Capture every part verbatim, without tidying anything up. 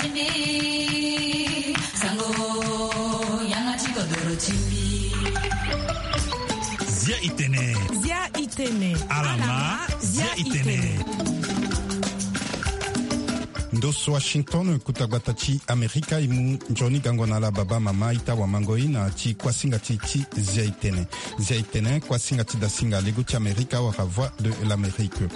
Timbi, sango, yanga ti kodoro timbi. Zia itene. Zia itene. Alama, zia itene. Ndo so Washington, kuta gbata ti Amerika, e mu nzoni gango na ala baba mama, ita wa mango i na ti kuasinga ti, ti Zia itene. Zia itene, kuasinga ti dasinga lego ti Amerika wala Voix de l'Amérique.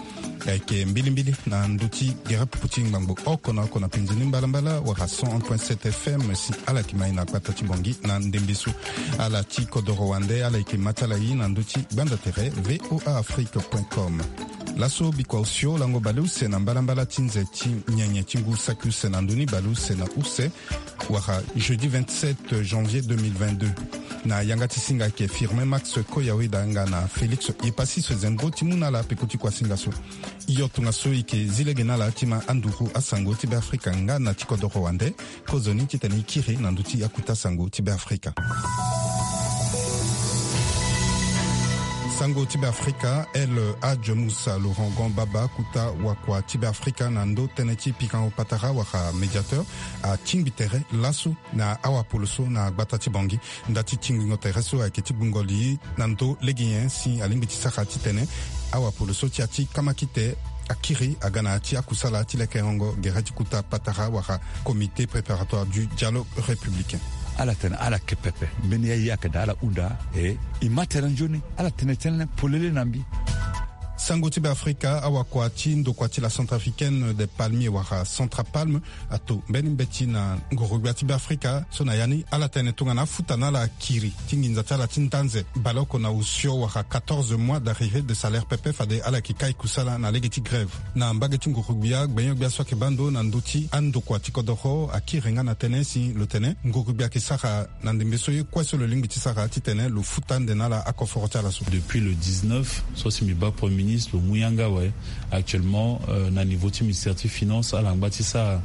Ayeke mbilimbili na ndö ti gere pupu ti ngbangbo oko na oko na penzi ni mbalambala wala cent un point sept F M si ala yeke ma e na gbata ti Bangui na ndembe so. Ala ti kodoro wande, ala yeke ma ti ala e na ndö ti gbanda tere V O A Afrique point com. Laso bikua osio lango baleuse na mbalambala ti nze ti nyenye ti ngu saki use na ndö ni baleuse na use, wala jeudi vingt-sept janvier deux mille vingt-deux. Na yanga ti singa ayeke Firmin Max Koyawe da nga na Félix Epassis Zengo ti mu na ala peko ti kuasinga so. Hio tongaso e yeke zi lege na ala ti ma anduru asango ti Beafrika nga na ti kodoro wande, kozoni titene e kiri na ndö ti akuta sango ti Beafrika. Sango ti Beafrika, El Hadj Moussa Laurent Gan Baba, kuta wakua ti Beafrika na ndö tënë ti pikango patara wala médiateur, atingbi tere laso na awapolo so na gbata ti Bangui. Nda ti tingbingo tere so ayeke ti gbungo li na ndö lege nyen si alingbi ti sara titene awapolo so ti ya ti kamakite akiri aga na ya ti akusala ti lekerengo gere ti kuta patara wala Comité préparatoire du dialogue républicain. Ala tene ala yeke pepe, mbeni ya e ayeke daa ala hunda, e e ma tere nzoni, ala tene tënë polele na mbi. Sango ti Beafrika, awakua ti ndokua ti la Centrafricaine des Palmiers wala Centrapalme ato mbeni mbeti na ngoro-gbia ti Beafrika so na ya ni ala tene tongana afuta na ala akiri ti nginza ti ala ti ndanze baleoko na osio wala quatorze mois d'arriérés de salaire pepe fade ala yeke kai kusala na lege ti grève. Na mbage ti ngoro-gbia, gbenyo-gbia so ayeke baa ndo na ndö ti andokua ti kodoro akiri nga na tënë si lo tene ngoro-gbia ayeke sara na ndembe so ye kue so lo lingbi ti sara titene lo futa ande na ala akoforo ti ala so. Depuis le dix-neuf, so si mbi baa Premier Ministre, lo mu yanga awe. Actuellement, euh, na niveau ti ministère ti finance, ala ngba ti sara.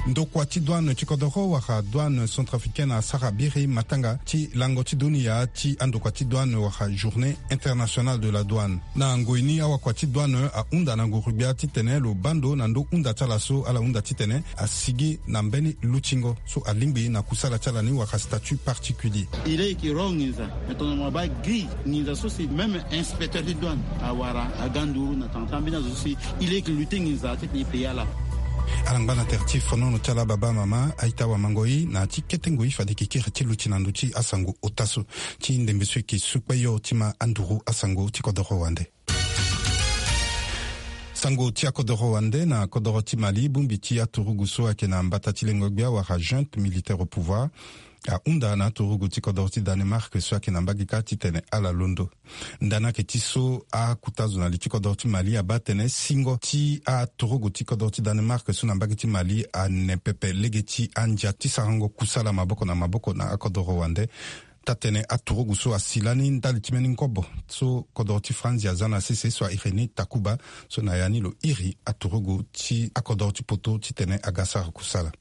Ndokua ti douane ti kodoro wala douane centrafricaine asara biri matanga ti lango ti dunia ti andokua ti douane wala journée internationale de la douane. Na ngoi ni, awakua ti douane ahunda na nguru-gbia titene lo baa ndo na ndo hunda ti ala so ala hunda titene asigi na mbeni lutingo so alingbi na kusala ti ala ni wala statut particulier. E leke ro nginza, me tongana mo baa grille nginza so si même inspecteur ti douane awara aga nduru na tanga ti ambeni azo so si e leke lutter nginza titene e payer ala. Ala ngba na tere ti fonono ti ala baba mama, a-ita wamango-i na ya ti kete ngoi fade e yeke kiri ti luti na ndö ti asango ota so ti ndembe so e yeke su kpeyo ti ma anduru asango ti kodoro wande. Sango ti akodoro wande na kodoro ti Mali, bongbi ti aturugu so ayeke na mbata ti lengo-gbia wala junte militaire au pouvoir ahunda na aturugu ti kodoro ti Danemark so ayeke na mbage kâ titene ala londo. Nda ni ayeke ti so akota zo na li ti kodoro ti Mali abaa tënë singo ti aturugu ti kodoro ti Danemark so na mbage ti Mali ane pepe lege ti andia ti sarango kusala maboko na maboko na akodoro wande. Taa-tënë aturugu so asi lani ndali ti mbeni ngobo so kodoro ti Franzi aza na sese so a iri ni Takuba, so na ya ni lo iri aturugu ti akodoro ti poto titene aga sara kusala.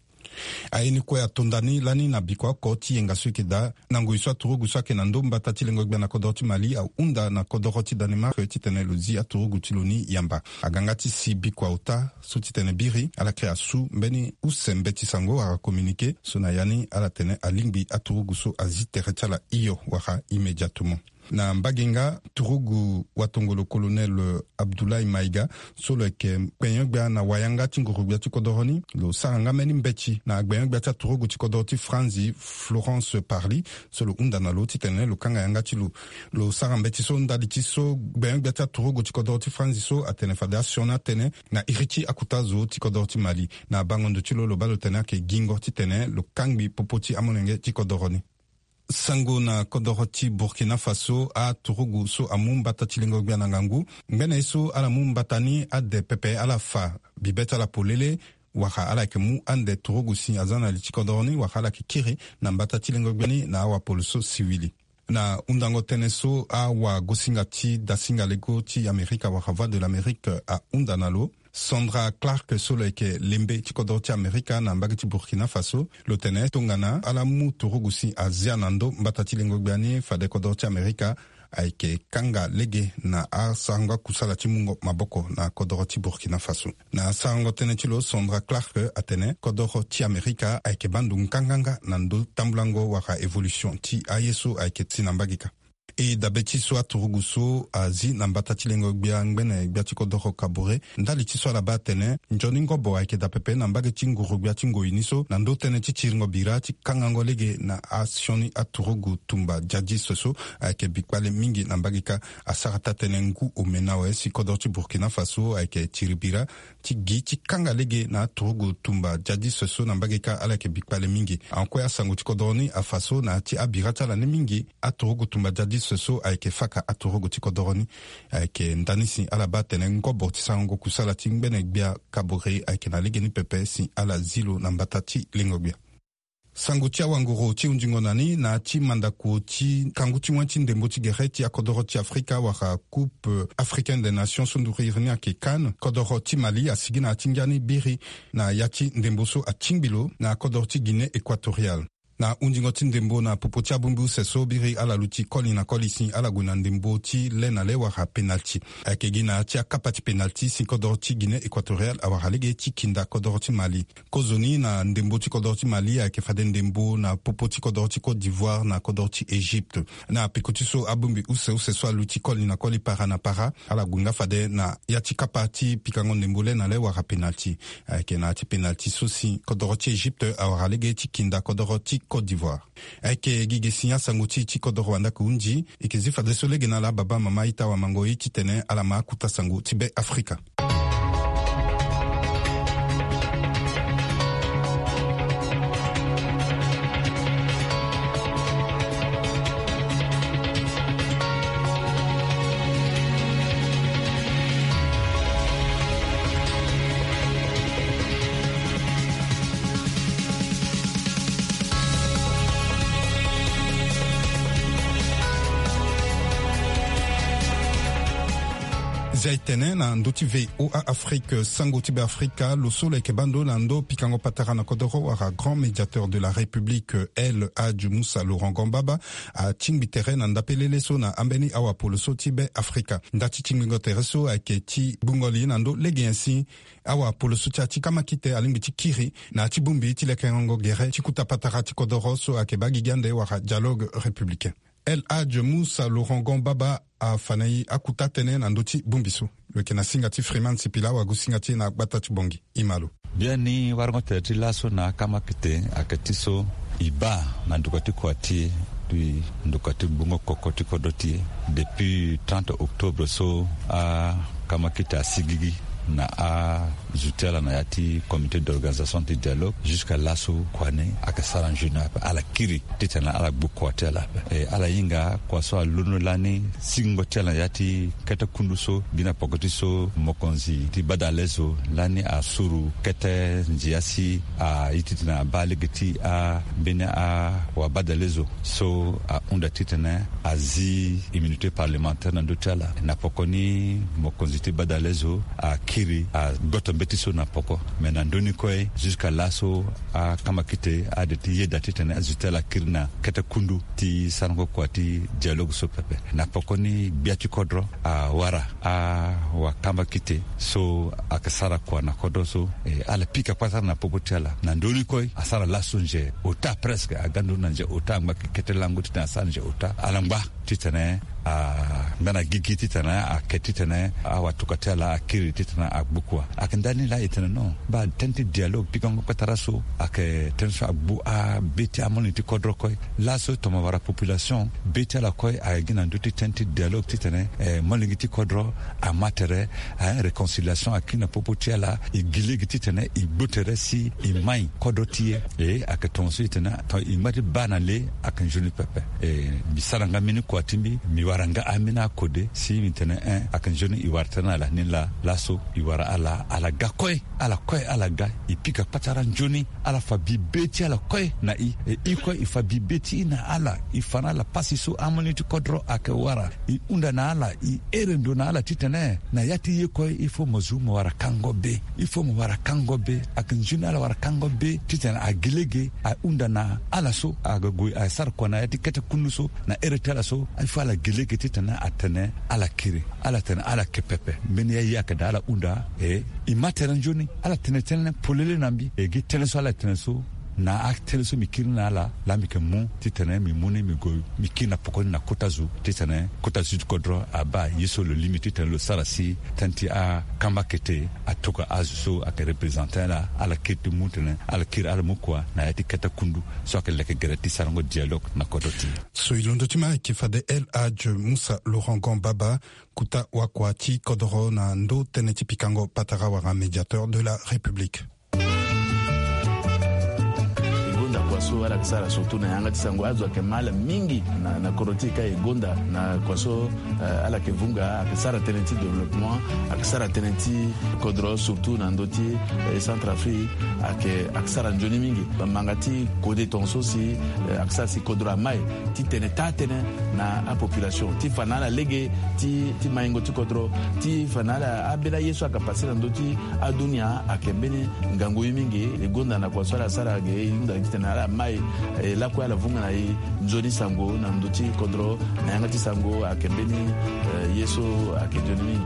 Aye ni kue ato nda ni lani na bikua oko ti yenga so e yeke daa na ngoi so aturugu so ayeke na ndo mbata ti lengo-gbia na kodoro ti Mali ahunda na kodoro ti Danemark titene lo zi aturugu ti lo ni yamba. Aga nga ti si bikua ota so titene biri ala yeke asu mbeni use mbeti sango wala communiqué so na ya ni ala tene alingbi aturugu so azi tere ti ala hio wala immédiatement. Na mbage nga, turugu watongolo colonel Abdoulaye Maïga so lo yeke kpenyo-gbia na wayanga ti nguru-gbia ti kodoro ni, lo sara nga mbeni mbeti na gbenyo-gbia ti aturugu ti kodoro ti Franzi, Florence Parly, so lo hunda na lo titene lo kanga yanga ti lo. Lo sara mbeti so ndali ti so gbenyo-gbia ti aturugu ti kodoro ti Franzi so atene fade asioni atënë na iri ti akota zo ti kodoro ti Mali. Na bango ndo ti lo, lo baa lo tene ayeke gingo titene lo kangbi popo ti amolenge ti kodoro ni. Sango na kodoro ti Burkina Faso, aturugu so amu mbata ti lengo-gbia na ngangu. Ngbene ye so ala mu mbata ni ade pepe, ala fa bibe ti ala polele, wala ala yeke mu ande turugu si aza na li ti kodoro ni, wala ala yeke kiri na mbata ti lengo-gbia ni na awapolo so siwili. Na hundango tënë so, awagosinga ti dasinga lego ti Amerika wala Voix de l'Amérique ahunda na lo. Sandra Clark so lo yeke lembe ti kodoro ti Amerika na mbage ti Burkina Faso, lo tene tongana ala mu turugu si azia na ndo mbata ti lengo-gbia ni, fade kodoro ti Amerika ayeke kanga lege na asarango akusala ti mungo maboko na kodoro ti Burkina Faso. Na asarango tënë ti lo, Sandra Clark atene kodoro ti Amerika ayeke baa ndo nganganga na ndö tambulango wala évolution ti aye so ayeke ti na mbage kâ. E dabe ti so aturugu so azi na mbata ti lengo gbia ngbene gbia ti kodoro Kabore, ndali ti so ala baa atene nzoni ngobo ayeke daa pepe na mbage ti nguru gbia ti ngoi ni so na ndö tënë ti tiringo bira ti kangango lege na asioni aturugu tumba djadis so ayeke bi kpale mingi na mbage kâ. Asara taa-tënë ngu ome na awe si kodoro ti Burkina Faso ayeke tiri bira ti gi ti kanga lege na aturugu tumba djadis so na mbage kâ, ala yeke bi kpale mingi. Ahon kue asango ti kodoro ni afa so na ya ti abira ti ala ni mingi, aturugu tumba djadis so ayeke faka aturugu ti kodoro ni. Ayeke ndani si ala baa atene ngobo ti sarango kusala ti ngbene gbia Kabore ayeke na legeni pepe si ala zi lo na mbata ti lengo gbia. Sango ti awanguru ti hunzingo na ni na ya ti mandako ti kangu ti wen ti ndembo ti gere ti akodoro ti Afrika wala Coupe Africaine des Nations so nduru iri ni ayeke CAN. Kodoro ti Mali asigi na ya ti ngia ni biri na ya ti ndembo so atingbi lo na kodoro ti Guinée Équatoriale. Na hunzingo ti ndembo na popo ti abongbi use so biri ala luti koli na koli si ala gue na ndembo ti le na le wala penalti. Ayeke gi na ya ti akapa ti penalti si kodoro ti Guinée Équatoriale awara lege ti kinda kodoro ti Mali. Kozoni na ndembo ti kodoro ti Mali ayeke fade ndembo na popo ti kodoro ti Côte d'Ivoire na kodoro ti Égypte. Na peko ti so abongbi use use so aluti koli na koli para na para, ala gue nga fade na ya ti kapa ti pikango ndembo le na le wala penalti. Ayeke na ya ti penalti so si kodoro ti Égypte awara lege ti kinda kodoro ti Côte d'Ivoire. Ayeke gi ge si asango ti e ti kodoro wandaka hunzi. E yeke zi fadeso lege na ala baba mama ita wamango e titene ala ma akuta sango ti Be Afrika. Zia e tene na ndö ti V O A Afrique, sango ti Be Afrika, lo so lo yeke baa ndo na ndö pikango patara na kodoro wala grand médiateur de la République, El Hadj Moussa Laurent Gambaba, atingbi tere na ndapelele so na ambeni awapolo so ti Be Afrika. Nda ti tingbingo tere so ayeke ti gbungo li na ndö lege nyen si awapolo so ti ya ti kamakite alingbi ti kiri na ya ti bongbi ti lekerengo gere ti kuta patara ti kodoro so ayeke baa gigi ande wala dialogue républicain. El Hadj Moussa Laurent Gambaba afa na e akuta tënë na ndö ti bongbi so. Lo yeke na singa ti Freeman Sipila, wagosinga ti e na gbata ti Bongi. E ma lo. Biani warango tere ti laso na akamakite ayeke ti so e baa na nduka ti kua ti e, ti nduka ti gbungo koko ti kodro ti e, depuis trente octobre so akamakite asigigi na azo ti ala na ya ti comité d'organisation ti dialogue. Jusqu'à laso kua ni ayeke sara nzoni ape, ala kiri titene ala gbu kua ti ala ape. E ala hinga kua so alondo lani singo ti ala na ya ti kete kundu so gi na poko ti so mokonzi ti badalezo lani asuru kete ndia si aye titene abaa lege ti ambeni awabadalezo so ahunda titene azi immunité parlementaire na ndö ti ala. Na poko ni mokonzi ti badalezo akiri agoto mbeti so na poko. Me na ndö ni kue jusqu'à laso akamakite ade ti yeda titene azo ti ala akiri na kete kundu ti sarango kua ti dialogue so pepe. Na poko ni gbia ti kodro awara awakamakite so ayeke sara kua na kodro so, e, ala pika kpasara na popo ti ala. Na ndö ni kue asara laso nze ota, presque aga nduru na nze ota, angba kete lango titene asara nze ota. Ala ngba titene angba na gigi titene ake titene awatuka ti ala akiri titene agbu kua. Ayeke ndani laa e tene non, baa tënë ti dialogue pikango patara so ayeke tënë so agbu abe ti amolenge ti kodro kue. Laso tongana wara population be ti ala kue ayeke gi na ndö ti tënë ti dialogue titene, eh, molenge ti kodro ama tere, eh, réconciliation akiri na popo ti ala. E gi lege titene e gbu tere si e mai kodro ti e. E ayeke tongaso e tene tongana e ngba ti baa na le ayeke nzoni pepe. E mbi sara nga mbeni kua ti mbi, mbi wara nga ambeni akode si mbi tene, eh, ayeke nzoni e wara tënë na ala ni laa. Laso e wara ala, ala ga kue, ala kue ala ga. E pika patara nzoni, ala fa bi be ti ala kue na e. E, e kue e fa bi be ti e na ala. E fa na ala pasi so amolenge ti kodro ayeke wara. E hunda na ala, e here ndo na ala titene na ya ti ye kue il faut mo zu mo wara kango be. Il faut mo wara kango be. Ayeke nzoni ala wara kango be titene agi lege ahunda na ala so aga gue asara kua na ya ti kete kundu so na here ti ala so. Il faut ala gi lege Gi titene atene ala kiri, ala tene ala ke pepe. Mbeni ya ye ayeke daa ala hunda. E, e ma tere nzoni ala tene tënë polele na mbi. E gi tënë so ala tene so, na atënë so mbi kiri ni na ala, laa mbi yeke mu titene mbi mu ni mbi gue, mbi kiri na poko ni na kota zo titene kota zo ti kodro abaa ye so lo lingbi titene lo sara si tënë ti akamba kete atokua azo so ayeke represente ala, ala kiri ti mu tene ala kiri ala mu kua na ya ti kete kundu so ayeke leke gere ti sarango dialogue na kodro ti e. So e londo ti ma ayeke fade El Hadj Moussa Laurent Gan Baba, kota wakua ti kodoro na ndo tënë ti pikango patara wala médiateur de la République. E gonda kua so ala yeke sara surtout na yanga ti sango, azo ayeke ma ala mingi na, na kodro ti e ka e gonda na kua so, eh, ala yeke vunga, ayeke sara tënë ti développement, ayeke sara tënë ti kodro surtout na ndö ti, eh, Centrafrique, ayeke, ayeke sara nzoni mingi. Manga ti kode tongaso si, eh, ayeke sara si kodro amai titene taa tënë na apopulation ti fa na ala lege ti, ti maingo ti kodro, ti fa na ala ambeni aye so ayeke pase na ndö ti adunia ayeke mbeni ngangu ye mingi. E gonda na kua so ala sara ge e hunda titene ala mai, eh, lakue ala vunga na e nzoni sango na ndö ti kodro na yanga ti sango ayeke mbeni, eh, ye so ayeke nzoni mingi.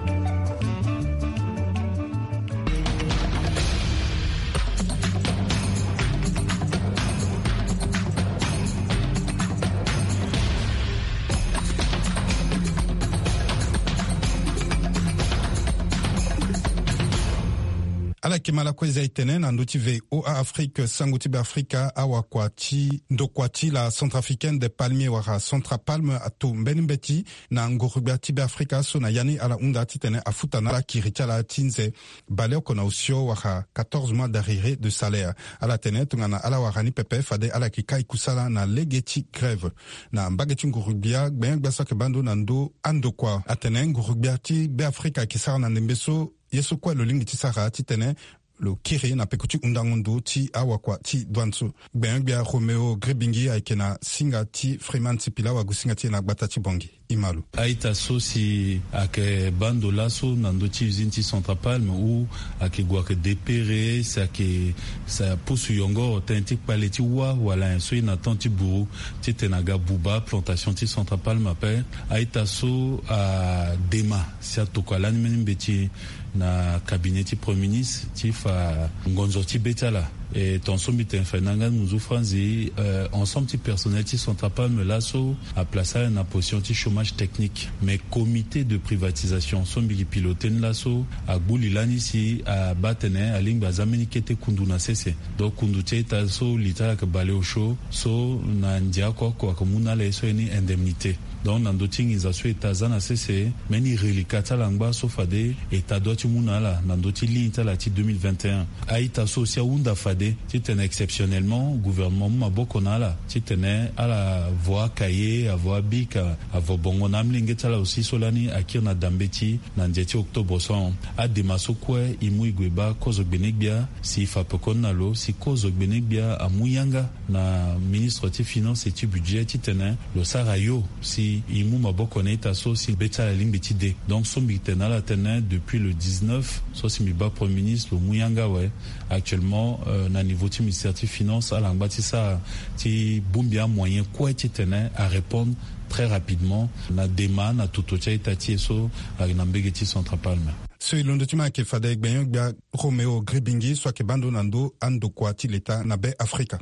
Ala yeke ma lakue za e tene na ndö ti V O A Afrique, sango ti Beafrika, awakua ti ndokua ti la Centrafricaine des Palmiers wala Centrapalme ato mbeni mbeti na nguru-gbia ti Beafrika so na ya ni ala hunda titene afuta na ala kiri ti ala ti nze baleoko na osio wala quatorze mois d'arriéré de salaire. Ala tene tongana ala wara ni pepe fade ala yeke kai kusala na lege ti grève. Na mbage ti nguru-gbia, gbenyo-gbia so ayeke baa ndo na ndö andokua atene nguru-gbia ti Beafrika ayeke sara na ndembe so ye so kue lo lingbi ti sara titene lo kiri na peko ti hundango ndo ti awakua ti douane so. Gbenyo-gbia Roméo Gribingi ayeke na singa ti Freeman Sipila, wagu singa ti e na gbata ti Bangui. E ma lo. A-ita so si ayeke baa ndo laso na ndö ti usine ti Centrapalme ou ayeke gue ayeke depere si ayeke sa pusu yongoro tënë ti kpale ti wâ wala nyen so e na temps ti buru titene aga buba plantation ti Centrapalme ape. A-ita so adema si atokua lani mbeni mbeti na cabinet ti Premier ministre ti fa ngonzo ti be ti ala. E tongaso mbi tene fa e na nga ngunzu franzi, eh, ensemble ti personnel ti Centrapalme laso aplace ala na position ti chômage technique. Mais comité de privatisation so mbi gi piloté ni laso agbu li lani si abaa atene alingbi aza mbeni kete kundu na sese. Donc kundu ti a-ita so li ti ala ayeke baleosio so na ndia oko oko ayeke mu na ala ye so ye ni indemnité. Donc na ndö ti nginza so État aza na sese, mbeni reliquat ti ala angba so fade État doit ti mu na ala na ndö ti ligne ti ala ti deux mille vingt et un. A-ita so aussi ahunda fade titene exceptionnellement gouvernement amu maboko na ala titene ala vo acahier, avo abic, avo bongo na amolenge ti ala aussi so lani akiri na dambe ti na ndia ti octobre so ahon. Adema so kue e mu e gue baa kozo gbene-gbia si e fa pekoni na lo si kozo gbene-gbia amu yanga na ministre ti finance et ti budget titene lo sara yo si e mu maboko na ita so si be ti ala alingbi ti de. Donc so mbi tene na ala tene depuis le dix-neuf so si mbi baa premier ministre lo mu yanga awe. Actuellement, euh, na niveau ti ministère ti finance ala ngba ti sara ti bongbi amoyen kue titene arépondre très rapidement na dema na toto ti a-ita ti e so ayeke na mbege ti Centrapalme. So e londo ti ma ayeke fade gbenyo-gbia Roméo Gribingi so ayeke baa ndo na ndö andokua ti leta na Be Afrika.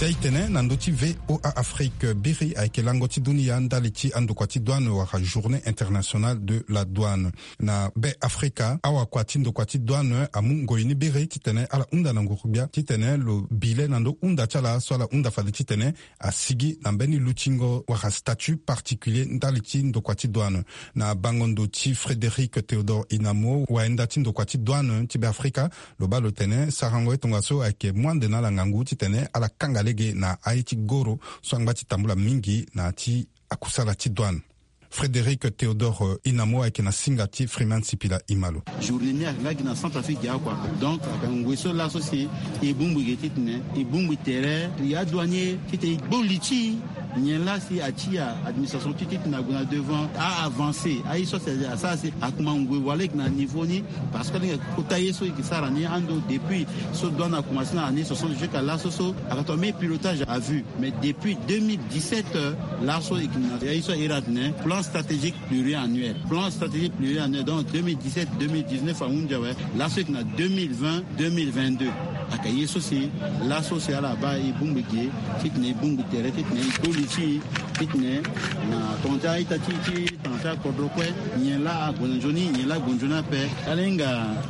Si a-itene na ndö ti V O A Afrique, biri ayeke lango ti dunia ndali ti andokua ti douane wala Journée internationale de la douane. Na Be Afrika, awakua ti ndokua ti douane amu ngoi ni biri titene ala hunda na nguru-gbia titene lo bi le na ndö hunda ti ala so ala hunda fade titene asigi na mbeni lutingo wala statut particulier ndali ti ndokua ti douane. Na bango ndo ti Frédéric Théodore Inamo, wayenda ti ndokua ti douane ti Be Afrika, lo baa lo tene sarango ye tongaso ayeke mu ande na ala ngangu titene ala kanga lege na aye ti goro so angba ti tambula mingi na ya ti akusala ti douane. Frédéric Théodore Inamo ayeke na singa ti Freeman Sipila. E ma lo. Journée ni ayeke nga gi na Centrafrique gi akua. Donc ayeke ngoi so laso si e bongbi ge titene e bongbi tere ya douanier titene e gbo li ti Nyen laa si atia administration ti titene ague na devant, a avancer aye so si asara si akuma ngoi wala e yeke na niveau ni. Parce que alingbi kota ye so e yeke sara ni ando depuis so douane akomanse na année soixante jusqu'à laso so, akata même pilotage à vue. Mais depuis deux mille dix-sept, laso e yeke na aye so a iri atene plan stratégique pluriannuel. Plan stratégique pluriannuel, donc deux mille dix-sept, deux mille dix-neuf ahunzi awe. Laso e yeke na deux mille vingt, deux mille vingt-deux. Aka ye so si laso si ala baa e bongbi ge titene e bongbi tere titene e koli ti e titene na tongana ti a-ita ti ti tongana ti akodro kue. Nyen laa ague na nzoni, nyen laa ague nzoni ape. Ala hinga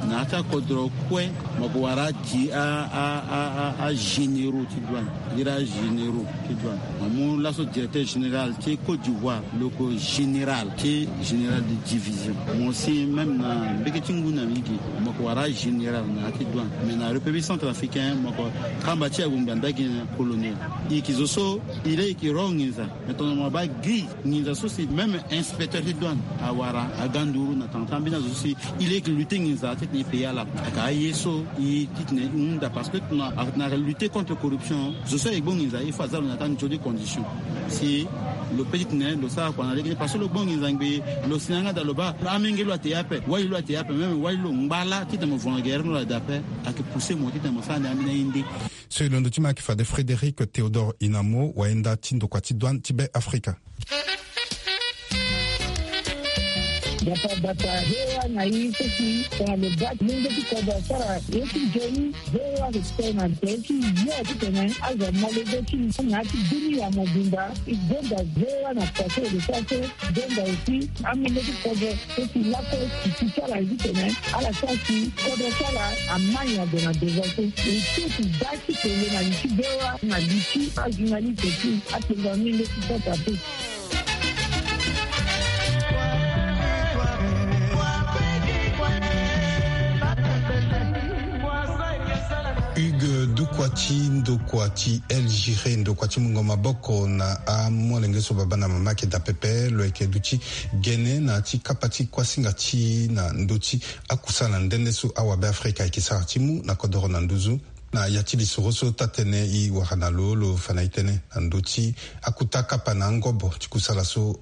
na ya ti akodro kue, mo yeke wara ti a a a a agénéraux ti douane. Iri agénéraux ti douane, mo mu laso directeur général ti Côte d'Ivoire, lo yeke général ti général de division. Mo si même na mbege ti ngu na migi, mo yeke wara général na ya ti douane. Mais na République centrafricaine, mo yeke kamba ti abongbi anda gi na colonel. E yeke zo so e laa e yeke ro nginza. Mais tongana mo baa gi nginza so si même inspecteur ti douane awara aga nduru na tanga ti ambeni azo so si e laa e yeke lutter nginza titene e payer ala. Aka aye so e titene e hunda, parce que tongana, tongana lutter contre corruption, zo so ayeke gbu nginza il faut aza lo na ya ti anzoni condition. Si lo peut titene lo sara kua na lege ni, parce que lo gbu nginza ngbii, lo si na yanga daa lo baa amenge lo ate ape, wali lo ate ape, même wali lo ngba laa titene mo vonga gere ni lo daa ape. Ayeke pousser mo titene mo sara ni ambeni aye nde. So e londo ti mo ayeke fade Frédéric Théodore Inamo, wayenda ti ndokua ti douane ti Be Afrika. Bata bata, V O A na i so si tongana lo baa ti mungo ti kodro asara ye ti nzoni, V O A ayeke tene na tere ti yo titene azo amolenge ti na ya ti dunia mobimba. E gonda V O A na kua so e lo sara so, gonda aussi amolenge ti kodro so si lakue ti ti ti ala titene ala sara si kodro ti ala amai ague na devant so. E ti ti baa ti tene na li ti V O A na li ti ajournaliste ti apenza mingi ti Centrafrique. Hugues Doukwati, ndokua ti El Giré, ndokua ti mungo maboko na amolenge so baba na mama ayeke daa pepe, lo yeke duti gene na ya ti kapa ti kuasinga ti na ndö ti akusala nde nde so awabe Afrika ayeke sara ti mu na kodoro na nduzu. Na ya ti lisoro so taa-tënë e wara na lo, lo fa na e tënë na ndö ti akota kapa na angobo ti kusala so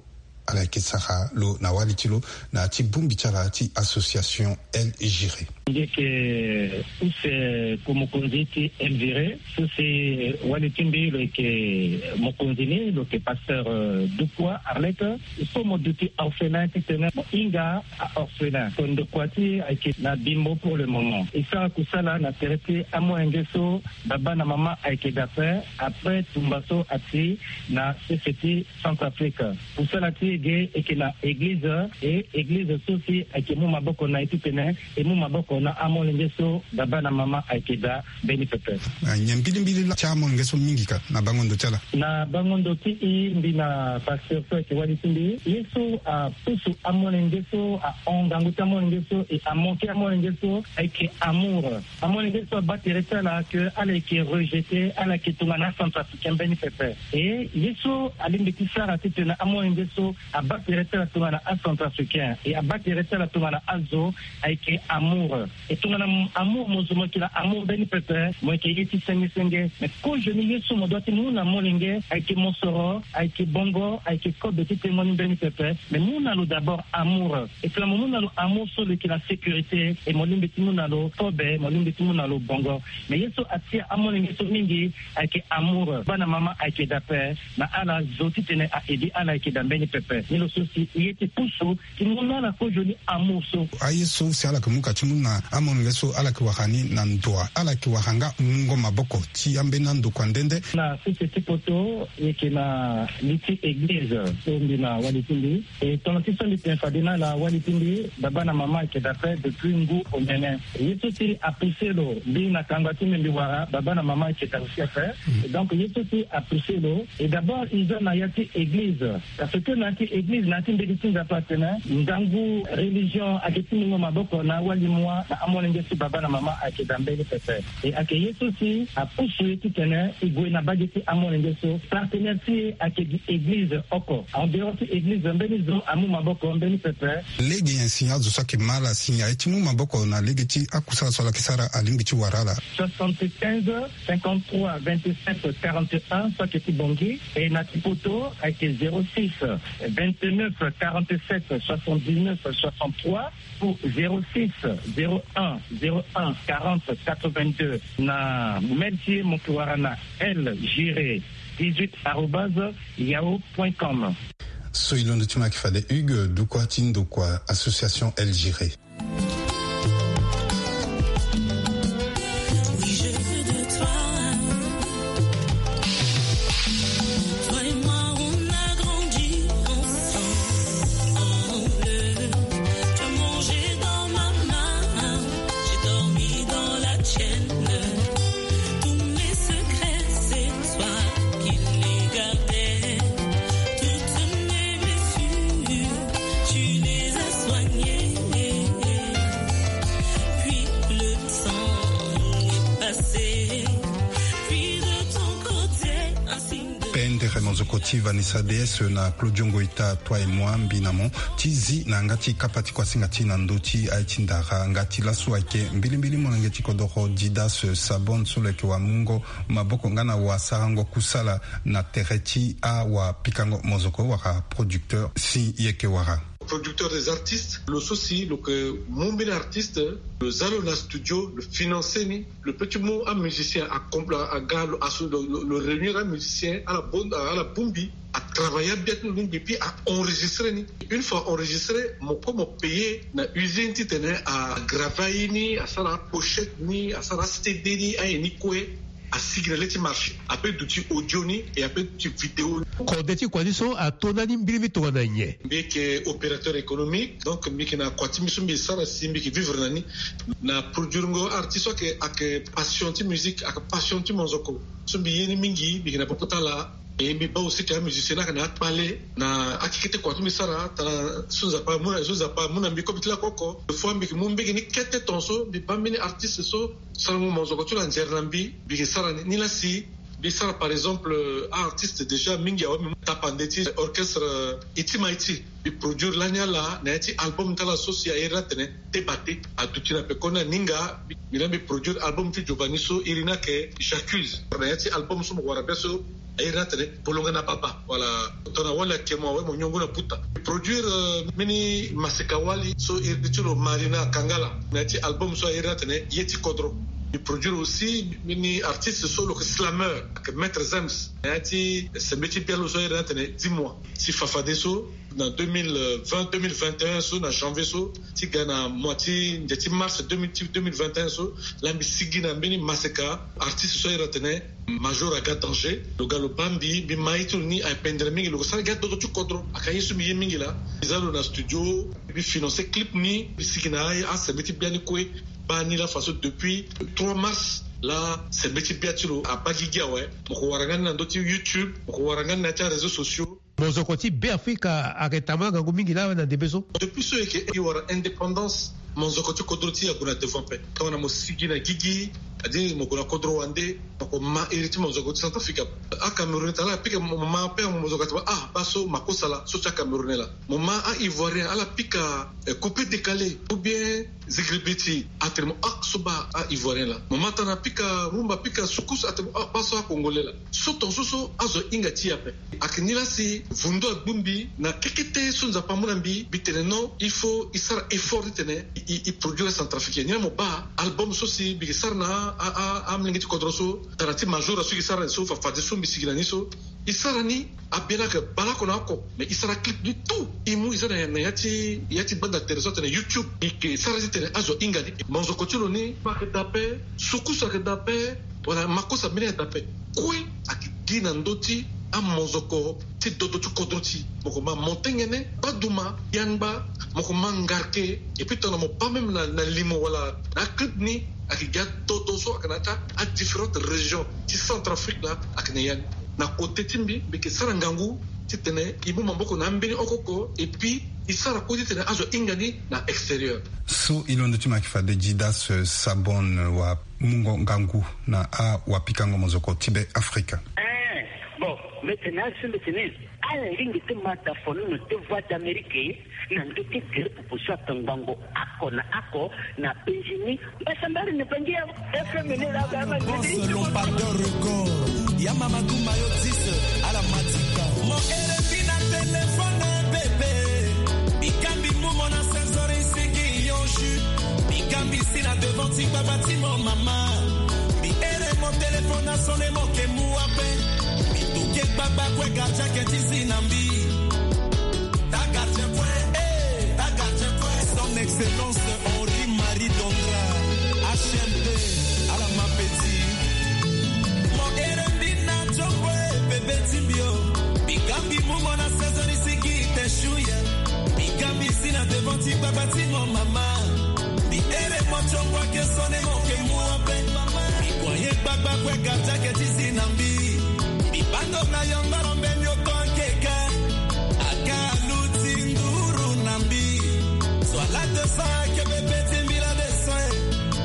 ala yeke sara lo na wali ti lo na ya ti bongbi ti ala ti association El Giré. Nge yeke use ko mokonzi ti El Giré, so si wali ti mbi lo yeke mokonzi ni, lo yeke pasteur, euh, Doukwati Arlette. So mo duti orphelin titene mo hinga a-orphelin. Ko ndokua ti e ayeke na Bimbo pour le moment. E sara kusala na tere ti amolenge so baba na mama ayeke daa ape, après tumba so ati na sese ti Centrafrique. Kusala ti e ge e yeke na eglize, e eglize so si ayeke mu maboko na e titene e mu maboko na amolenge so baba na mama ayeke daa mbeni pepe. Ah, nyen mbilimbili laa ti amolenge so mingi ka na bango ndo ti ala? Na bango ndo ti e, mbi na pasteur so ayeke wali ti mbi, ye so apusu amolenge so, ahon ngangu ti amolenge so, e amanke amolenge so, ayeke amour. Amolenge so abaa tere ti ala ke ala yeke rejeté, ala yeke tongana acentrafricain mbeni pepe. E ye so alingbi ti sara titene amolenge so abaa tere ti ala tongana acentrafricain, e abaa tere ti ala tongana azo, ayeke amour. E tongana m-, amour mo zo mo yeke na amour mbeni pepe, mo yeke ye ti senge senge. Mais kozoni ye so mo doit ti mu na molenge, ayeke mosoro, ayeke bongo, ayeke kobe ti tengo ni mbeni pepe. Mais mu na lo d'abord amour. E tongana mo mu na lo amour so lo yeke na sécurité, e mo lingbi ti mu na lo kobe, mo lingbi ti mu na lo bongo. Mais ye so atia amolenge so mingi, ayeke amour. Baba na mama ayeke daa ape, na ala zo titene a-edi ala ayeke daa mbeni pepe. Ni lo so si e ye ti pusu ti mu na ala kozoni amour so. Aye so si ala yeke mu ka ti mu na amolenge so ala yeke wara ni na ndo wa, ala yeke wara nga mungo maboko ti ambeni andokua nde nde. Na sese ti poto, e yeke na li ti eglize so mbi na wali ti mbi. E tongana ti so mbi tene fade na ala wali ti mbi, baba na mama ayeke daa ape depuis ngu omene. Ye so si apousser lo, mbi na kangba ti mbi mbi wara, baba na mama ayeke daa aussi ape. Mm. Et donc ye so si apousser lo, et d'abord e za na ya ti eglize. Parce que na ya ti Eglize na ya ti mbeti ti Nzapa atene ngangu religion ayeke ti mungo maboko na awali mua na amolenge so baba na mama ayeke daa mbeni pepe. E ayeke ye so si apusu ye titene e gue na mbage ti amolenge so. Partenaire ti e ayeke gi eglize oko. En dehors ti eglize, mbeni zo amu maboko mbeni pepe. Lege nyen si azo so ayeke ma ala si aye ti mu maboko na lege ti akusala so ala yeke sara alingbi ti wara ala? Soixante-quinze, cinquante-trois, vingt-sept, quarante et un, so ayeke ti Bangui. E na ti poto ayeke zéro six, vingt-neuf, quarante-sept, soixante-dix-neuf, soixante-trois, ou zéro six, zéro un, zéro un, quarante, quatre-vingt-deux. Na mail ti e mo yeke wara na L Giré dix-huit arobase yahoo point com. So e londo ti mo ayeke fade Hugues Dukwa ti ndokua association L Giré. Pendere monzoko ti Vanessa D S na Claudio Ngoita, toi et moi, mbi na mo ti zi na yanga ti kapa ti kuasinga ti na ndö ti aye ti ndara. Nga ti laso ayeke mbilimbili molenge ti kodoro Didas Sabon so lo yeke wamungo maboko nga na wasarango kusala na tere ti awapikango monzoko wala producteur si e yeke wara. Producteur des artistes, lo so si lo yeke mu mbeni artiste, lo za lo na studio, lo financer ni, lo peut ti mu amusicien, a compl-, a, aga lo, aso lo, lo, lo réunir amusicien ala bon, ala bongbi, a travailler abia ti lo lingbi, puis a enregistrer ni. Une fois enregistré, mo kue mo payer na usine titene a graver aye ni, asara apochette ni, asara aCD ni, aye ni kue. Asigi na le ti marché, ape duti audio ni, e ape duti vidéo ni. Kode ti kua ni so ato ndani mbirimbiri tongana nyen? Mbi yeke opérateur économique, donc mbi yeke na kua ti mbi so mbi sara si mbi yeke vivre na ni. Na produirengo artiste so ayeke, ayeke passion ti musique, ayeke passion ti monzoko. So mbi ye ni mingi, mbi yeke na popo ti ala. E mbi baa aussi que amusicien ni ayeke na akpale na akekete kua ti mbi sara, tana so Nzapa amu na, so Nzapa amu na mbi kobe ti lakoko. Des fois mbi yeke mu mbege ni kete tongaso, mbi baa mbeni artiste so sarango monzoko ti lo anzere na mbi, mbi yeke sara ni. Nilaa si mbi sara par exemple, euh, artiste déjà mingi awe, mbi mu tapande ti orchestre, euh, Iti Maiti. Mbi produire lani ala na ya ti album ti ala so si a iri ni atene Te Bate. Aduti na pekoni aninga. Mbi laa mbi produire album ti Giovanni so iri ni ayeke J'accuse. Na ya ti album so mo wara be so a iri ni atene Bolonga na Baba. Voilà. Tongana wali ayeke mo awe, mo nyongo na puta. Mbi produire, euh, mbeni maseka wali so iri ti lo Marina Kangala na ya ti album so a iri ni atene Ye ti Kodro. Mbi produire aussi mbeni artiste so lo yeke slameur, ayeke Maître Zems, na ya ti sembe ti bia lo so a iri ni atene Dis-moi. Si fafadeso na deux mille vingt, deux mille vingt et un so, na janvier so, ti ga na mois ti ndia ti mars deux mille, ti deux mille vingt et un so, laa mbi sigi na mbeni maseka artiste so a iri atene Major Aga Danger. Lo ga lo baa mbi, mbi ma ye ti lo ni apendere mingi, lo yeke sara gi adodo ti kodro. Ayeke aye so mbi ye mingi laa. Mbi za lo na studio, mbi financer clip ni, mbi sigi na aye, asembe ti bia ni kue. Baa ni laa faso depuis trois mars laa sembe ti bia ti lo abaa gigi awe. Mo ko wara nga ni na ndö ti YouTube, mo ko wara nga ni na ya ti aréseaux sociaux. Monzoko ti Beafrika ayeke tambula ngangu mingi laa na ndembe so. Depuis so e yeke e wara indépendance, monzoko ti kodro ti e ague na devant ape. Tongana mo sigi na gigi, c'est-à-dire mo gue na kodro wande, mo ko ma iri ti monzoko ti Centrafrique ape. Acamerounais tara ala pika mo ma ape, monzoko atene ah, baa so makosa laa, so ti acamerounais laa. Mo ma a-ivoirien ala pika, eh, coupé décalé ou bien zigiribiti, atene mo ah, so baa a-ivoirien laa. Mo ma tana pika rumba, pika sukus, atene mo ah, baa so a-congolais laa. So tongaso so azo ahinga ti e ape. Ayeke ni laa si vundu agbu mbi na kekete so Nzapa amu na mbi, mbi tene non, il faut e sara effort titene e, e, e produire acentrafricain. Ni laa mo baa album so si mbi yeke sara na a, a, amolenge ti kodro so, tara ti Major so e yeke sara ni so, fafadeso mbi sigi na ni so. E sara ni, abia ni ayeke baleoko na oko, mais e sara clip ni tout. E mu e za na, na ya ti, ya ti gbanda tere so atene YouTube. E yeke sara titene azo ahinga ni. Monzoko ti lo ni ayeke daa ape, sukus ayeke daa ape, wala makosa mbeni ayeke daa ape. Kue ayeke gi na ndö ti amonzoko ti dodo ti kodro ti e. Mo ko ma monté ngbene, baduma, yangba, mo ko ma ngarke, et puis tongana mo baa même na, na limo wala na aclip ni, ayeke gi adodo so ayeke na ya ti adifférentes régions ti Centrafrique laa, ayeke na ya ni. Na côté ti mbi, mbi yeke sara ngangu titene e mu maboko na ambeni oko oko, et puis e sara kue titene azo ahinga ni na extérieur. So e londo ti mo yeke fade Didas, eh, Sabon, eh, wa mungo ngangu na awapikango mozoko ti be Afrika. Eh, bon, mbeti na asu mbeti ni. Ala lingbi ti ma da fonono ti Voix d'Amérique na ndö ti gere popo so atongbango oko na oko na Benjini. Mbasambari ni bangi ya F M ni la ba ma Boss Lompardeur Record. Ya mama Gumba yo dix à la Matika. Mo ere mbi na téléphone bébé. Mbi ka mbi mu mo na seize heures isigi yo ju. Mbi ka mbi si na devant ti gbagba ti mo mama. Mbi ere mo téléphone asone mo ke mu ape. Mbi toke gbagba kue gardien ke ti zi na mbi. Ta gardien kue, eh, ta gardien kue. Son Excellence Henri Marie Dondra, H M D, ala ma petit. Mo ere mbi na tongbo e bebe ti mbi o. Mbi ka mbi mu mo na seize heures isigi te shu ye. Mbi ka mbi si na devant ti gbagba ti mo mama. Mbi ere mo tongbo ake sone mo ke mu ape. Mbi kua ye gbagba kue gardien ke ti zi na mbi. Mbi bando na yongoro mbeni oko akeka. Aka aluti nduru na mbi. So ala deux cents ake bebe ti mbi la deux cents.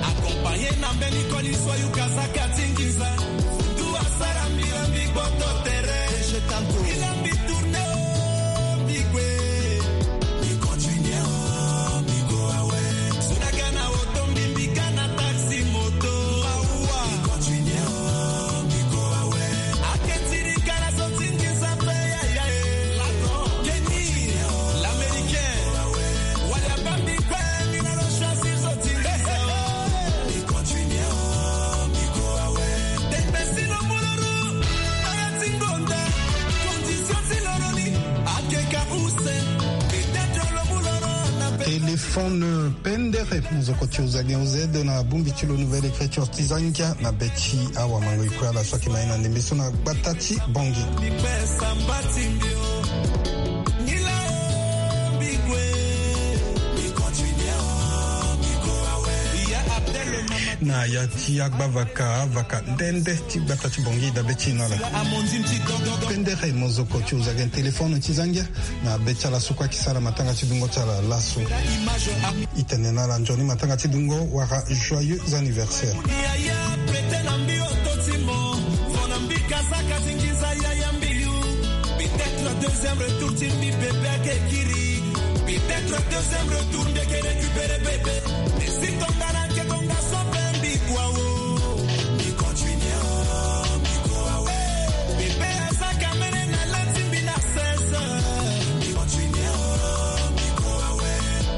Accompagné na mbeni koli so ayuka saka ti nginza. Fundu asara mbi la mbi gboto tere. Je t'en prie. Mbi la mbi tourné o mbi gue. Mbi continué o mbi go awe. So na ga na oto mbi mbi ga na taxi moto. Mawa. Mbi continué o mbi go awe. Ake ti ri ga na so ti nginza pe yaya e. Kenny, l'américain. Wali abambi kue mbi na lo choisir so ti nginza. Mbi continué o mbi go awe. Tembe si lo mu lo ru. Aya ti ngonda. Condition ti lo ru ni. Ake ka use. Peut-être lo mu lo ru na pe. Téléphone pendere, mozoko ti ozage oz na bongbi ti lo Nouvelle Écriture ti zangia na be ti awamango e kue ala so ayeke ma ye na ndembe so na gbata ti Bangui. Na ya ti agbavaka, avaka nde nde ti gbata ti Bangui dabe ti e na ala. Pendere, mozoko ti ozage téléphone ti zangia. Na be ti ala so kue ayeke sara matanga ti dungo ti ala laso. E tene na ala nzoni matanga ti dungo wala joyeux anniversaire. Yaya prete na mbi oto ti mo. Fo na mbi kazaka ti nginza yaya mbi yu. Peut-être deuxième retour ti mbi bebe ake kiri. Peut-être deuxième retour mbi ake récupérer bebe. Mais si tonga na ake tonga so pe mbi kua o. Mbi continue o, mbi kua o. Bebe aza kamene na la ti mbi na seize heures. Mbi continue o, mbi kua o.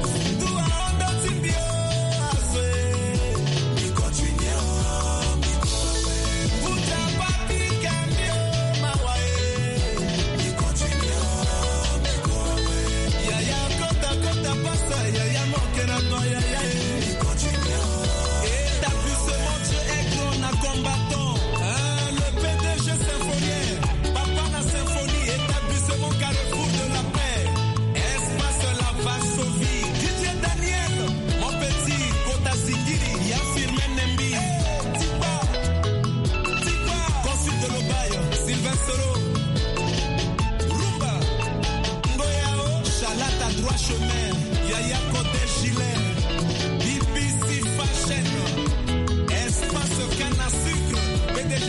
Fundu ahondo ti mbi o, azo e. Mbi continue o, mbi kua o. Mbuta papi ka mbi o, mawa e. Mbi continue o, mbi kua o. Yaya kota kota pasa, yaya moke na toi, yaya e. Mbi continue o. Établissement Dieu est grand na combattant. Hein, le P D G Symphonien, papa na symphonie, établissement Carrefour de la Paix, espace La Varsovie, Didier Daniel, mon petit, Kota Singiri, ya Firmin Nembi, Tikba, Tikba, consul de l'Obaye, Sylvain Solo, Rumba, Ngoyao, Chalata, droit chemin, Yaya Kote Gilet, B B C Fashion, espace canne à sucre, P D G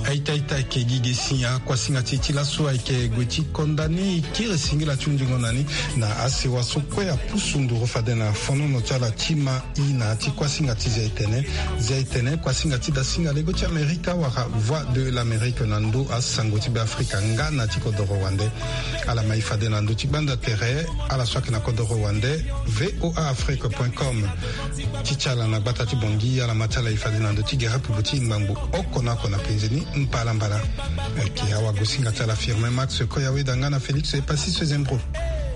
Aita aita ayeke gi ge si akuasinga ti e ti laso ayeke gue ti konda ni, e kiri singila ti hunzingo na ni na asewa so kue apusu nduru fade na fonono ti ala ti ma i na ya ti kuasinga ti Zia Etene. Zia Etene, kuasinga ti dasinga lego ti Amerika wala Voix de l'Amérique na ndö asango ti Beafrika nga na ti kodoro wande. Ala ma e fade na ndö ti gbanda tere, ala so ayeke na kodoro wande, V O A Afrique point com. Ti ti ala na gbata ti Bangui, ala ma ti ala e fade na ndö ti gere popo ti ngbangbo oko na oko na penze ni mbalambala. Ayeke awagosinga ti ala Firmin Max Koyaweda nga na Félix Epassis Sezembro.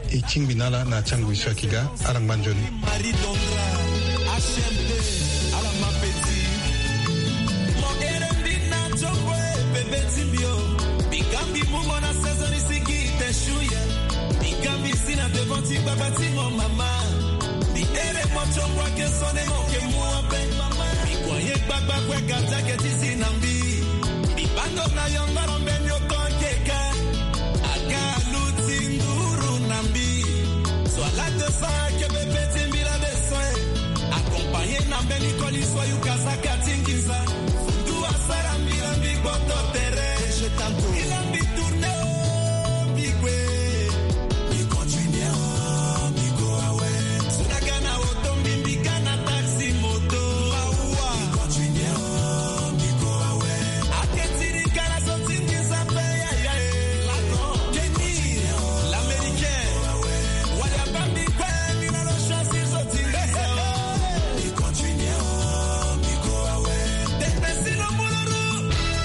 E tingbi na ala na ya ti angoi so ayeke ga, ala ngba nzoni. Marie Dondra, H M D, ala ma petit. Mo ere mbi na tongbo e bebe ti mbi o. Mbi ga mbi mu mo na seize heures isigi te shu ye. Mbi ga mbi si na devant ti gbagba ti mo mama. Mbi ere mo tongbo ake sone mo ke mu ape. Mbi kua ye gbagba kue gardien ake ti zi na mbi. Mbi bando na yongoro mbeni oko ake ka. Aga